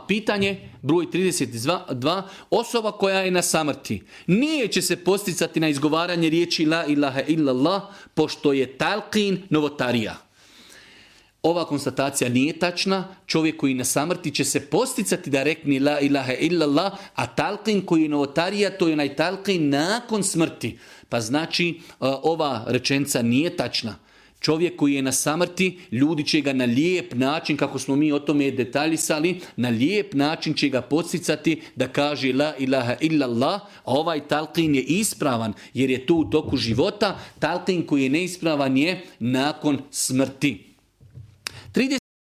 pitanje, broj 32, osoba koja je na samrti. Nije će se posticati na izgovaranje riječi la ilaha illallah, pošto je talqin novotarija. Ova konstatacija nije tačna. Čovjek koji na samrti će se posticati da rekne la ilaha illallah, a talqin koji je novotarija, to je onaj talqin nakon smrti. Pa znači ova rečenica nije tačna. Čovjek koji je na samrti, ljudi će ga na lijep način, kako smo mi o tome detaljisali, na lijep način će ga podsticati da kaže la ilaha illallah, a ovaj talqin je ispravan jer je to u toku života. Talqin koji je neispravan je nakon smrti.